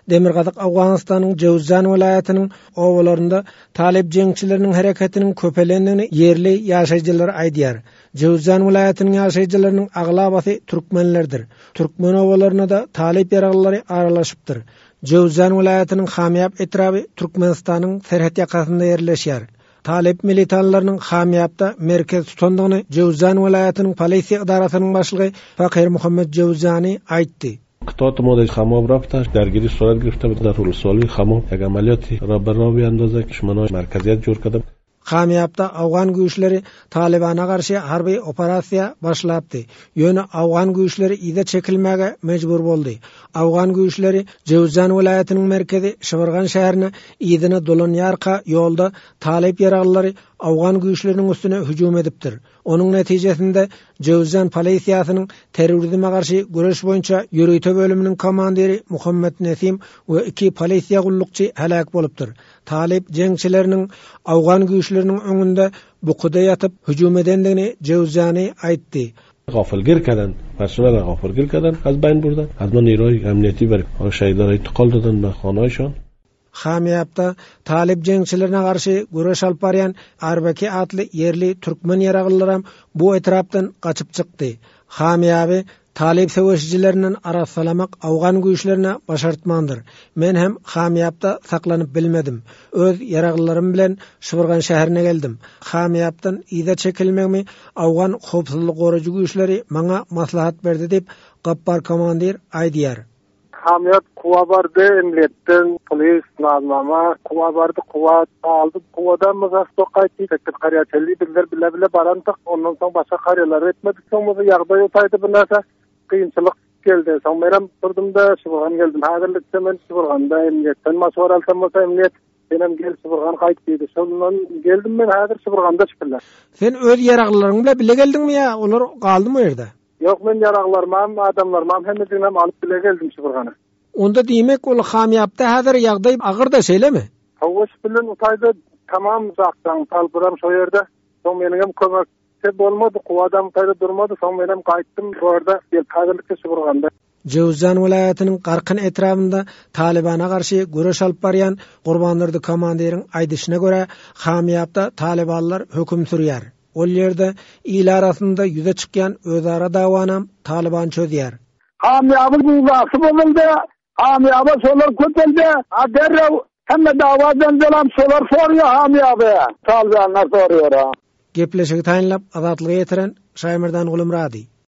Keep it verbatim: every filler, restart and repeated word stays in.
Demirgazyk Owganystanyň Jöwzjan welaýatynyň obalarynda talyp jeňçileriniň hereketiniň köpelendigini ýerli ýaşaýjylar aýdýar. Jöwzjan welaýatynyň ýaşaýjylarynyň aglabasy türkmenlerdir. Türkmen obalaryna da talyp ýaraglylary aralaşypdyr. Jöwzjan welaýatynyň Hamýap etraby Türkmenistanyň serhet ýakasynda ýerleşýär. Talyp militanlarynyň Hamýapda merkez tutandygyny Jöwzjan welaýatynyň polisiýa edarasynyň başlygy Fakir Muhammed Jöwzjani aýtdy. قطعات ما در خماب رفته درگیری صورت گرفته بود در ولسوالی خماب یک عملیاتی را به راه بیاندازه که دشمنان مرکزیت جور کرده. Hamýapda Awgan güýçleri Talibana garşy harby operasiýa başlapdy. Ýöne Awgan güýçleri ýa çekilmäge mejbur boldy. Awgan güýçleri Jöwzjan welaýatynyň merkezi Şybargan şäherine ýygyna dolanýarka ýolda Talip ýaraglylary Awgan güýçleriniň üstüne hüjüm edipdir. Onuň netijesinde Jöwzjan polisiýasynyň terrorizme garşy göreş boýunça ýörite bölüminiň komandiri Muhammed Nesim we iki polisiýa gullukçy heläk bolupdyr. Talip jeňçileriniň Awgan güýçleriniň öňünde bukuda ýatyp hüjüm edendigini Jöwzjani aýtdy. غافلگیر کردن، پرسنل غافلگیر کردن، از بین بردن. از ما نیروی امنیتی بر شهیدان انتقال دادن به خانه‌هایشان. Hamýapda Talip jeňçilerine garşy göreş alyp barýan Arbaki atly ýerli türkmen ýaraglylary bu etrapdan gaçyp çykdy. Hamýaby Talip söweşijilerinden arassalamak Awgan güýçlerine başartmandyr. Men hem Hamýapda saklanyp bilmedim. Öz ýaraglylarym bilen Şybargan şäherine geldim. Hamýapdan ýa çekilmegimi Awgan howpsuzlyk goraýjy güýçleri maňa maslahat berdi diýip Gappar komandir aýdýar. Hamýap kuwa bardy, emniýetden polis nazmama kuwa bardy, kuwa aldy, kuwadan mızas gaýtdy, tekir karýa çelli bizler bile bile barantyk, ondan soň başga karýalar etmedik, soň bu ýagdaý utaýdy bu näse kynçylyk geldi. Soň menem durdum da Şybargan geldim. Häzirlikçe men Şybarganda emniýetden maşwara alsam bolsa emniýet menem gel Şybargan gaýt diýdi. Şondan geldim men häzir Şybarganda çykylar. Sen öz ýaraglylaryň bilen bile geldiňmi ýa olar galdymy o ýerde? Ýok, men ýaraglarymam, adamlarymam hemmesinem alyp bile geldim Şybargana. Onda diýmek ol Hamýapda häzir ýagdaý agyr da şeýlemi? Hawa, bilen utaýda tamam uzakdan talpyram şo ýerde. Soň meniň kömek bolmady, kuwadam utaýda durmady, soň menem gaýtdym bu ýerde gelip häzirlikçe Şybarganda. Jöwzjan welaýatynyň Garkyn etrabynda Talibana garşy göreş alyp barýan Gurbandurdy komandiriň aýdyşyna görä Hamýapda Talibanlar höküm sürýär. Ol ýerde il arasynda ýüze çykýan özara dawanam Taliban çözýär. Hamýabyň uzasy boldy, Hamýaba şolar köpeldi. A derrew hemme dawadan delam şolar sorýar Hamýaba. Talibanlar sorýar. Gepleşigi taýynlap Azatlyga ýetiren Şaýmerdan Gulumrady.